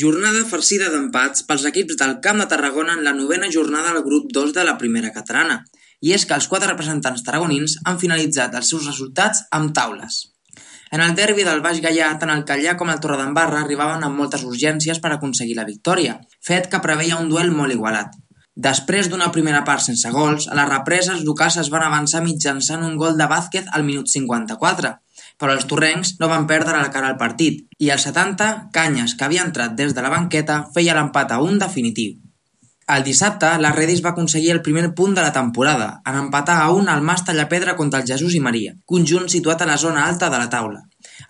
Jornada farcida d'empats pels equips del Camp de Tarragona en la 9ª jornada del grup 2 de la primera catalana, i és que els 4 representants tarragonins han finalitzat els seus resultats amb taules. En el derbi del Baix Gaià, tant el Calllà com el Torredembarra arribaven amb moltes urgències per aconseguir la victòria, fet que preveia un duel molt igualat. Després d'una primera part sense gols, a les represes els locals es van avançar mitjançant un gol de Vázquez al minut 54, però els torrencs no van perdre la cara al partit, i al 70, Canyes, que havia entrat des de la banqueta, feia l'empat a 1 definitiu. El dissabte, la Redis va aconseguir el primer punt de la temporada, en empatar a 1 al Mas Tallapedra contra el Jesús i Maria, conjunt situat a la zona alta de la taula.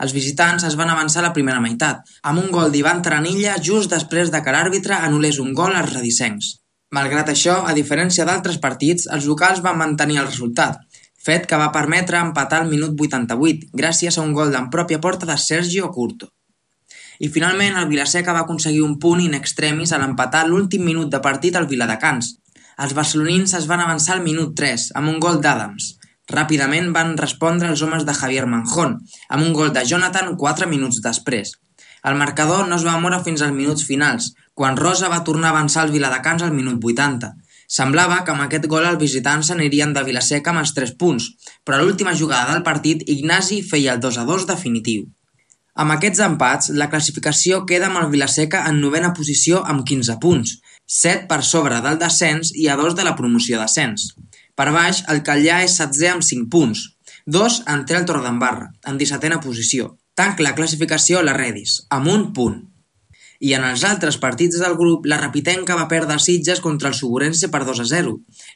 Els visitants es van avançar a la primera meitat, amb un gol d'Ivan Taranilla just després de que l'àrbitre anul·lés un gol als redisencs. Malgrat això, a diferència d'altres partits, els locals van mantenir el resultat, fet que va permetre empatar al minut 88, gràcies a un gol en pròpia porta de Sergio Curto. I finalment el Vilaseca va aconseguir un punt in extremis a l'empatar l'últim minut de partit al Viladecans. Els barcelonins es van avançar al minut 3, amb un gol d'Adams. Ràpidament van respondre els homes de Javier Manjón, amb un gol de Jonathan 4 minuts després. El marcador no es va moure fins als minuts finals, quan Rosa va tornar a avançar al Viladecans al minut 80. Semblava que amb aquest gol els visitants s'anirien de Vilaseca amb els 3 punts, però a l'última jugada del partit Ignasi feia el 2-2 definitiu. Amb aquests empats, la classificació queda amb el Vilaseca en 9ª posició amb 15 punts, 7 per sobre del descens i a 2 de la promoció d'ascens. Per baix, el Calllà és 7è amb 5 punts, 2 en té el Torredembarra, en 17ª posició. Tanca la classificació la Redis, amb 1 punt. I en els altres partits del grup, la Rapitenca va perdre a Sitges contra el Suburense per 2-0,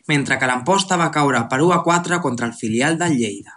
mentre que l'Amposta va caure per 1-4 contra el filial del Lleida.